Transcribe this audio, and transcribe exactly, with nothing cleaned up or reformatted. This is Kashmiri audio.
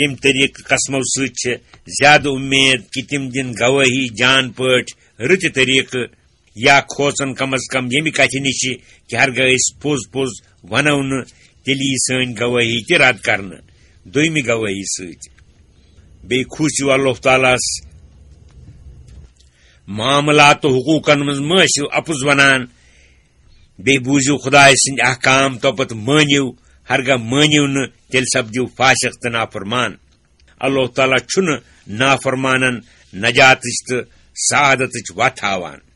ییٚمہِ طریقہٕ قسمو سۭتۍ چھِ زیادٕ اُمید کہِ تِم دِن گوٲہی جان پٲٹھۍ رٕتہِ طریقہٕ، یا کھوژن کم از کم ییٚمہِ کتھِ نِش کہِ ہرگاہ أسۍ پوٚز پوٚز ونو نہٕ، تیٚلہِ یی سٲنۍ گوٲہی تہِ رد کرنہٕ دوٚیمہِ گوٲہی سۭتۍ۔ بیٚیہِ کھوٗژِو اللہ تعالیٰ ہس، معاملات تہٕ حقوٗقن منٛز مہ ٲسِو اپُز ونان، بیٚیہِ بوٗزِو خدایہِ سٕنٛدۍ احکام تہٕ پتہٕ مٲنِو، ہرگاہ مٲنِو نہٕ، تیٚلہِ سپدِو فاسق تہٕ نافرمان۔ اللہ تعالیٰ چھُنہٕ نافرمانن نجاتٕچ تہٕ سعادتٕچ وتھ ہاوان۔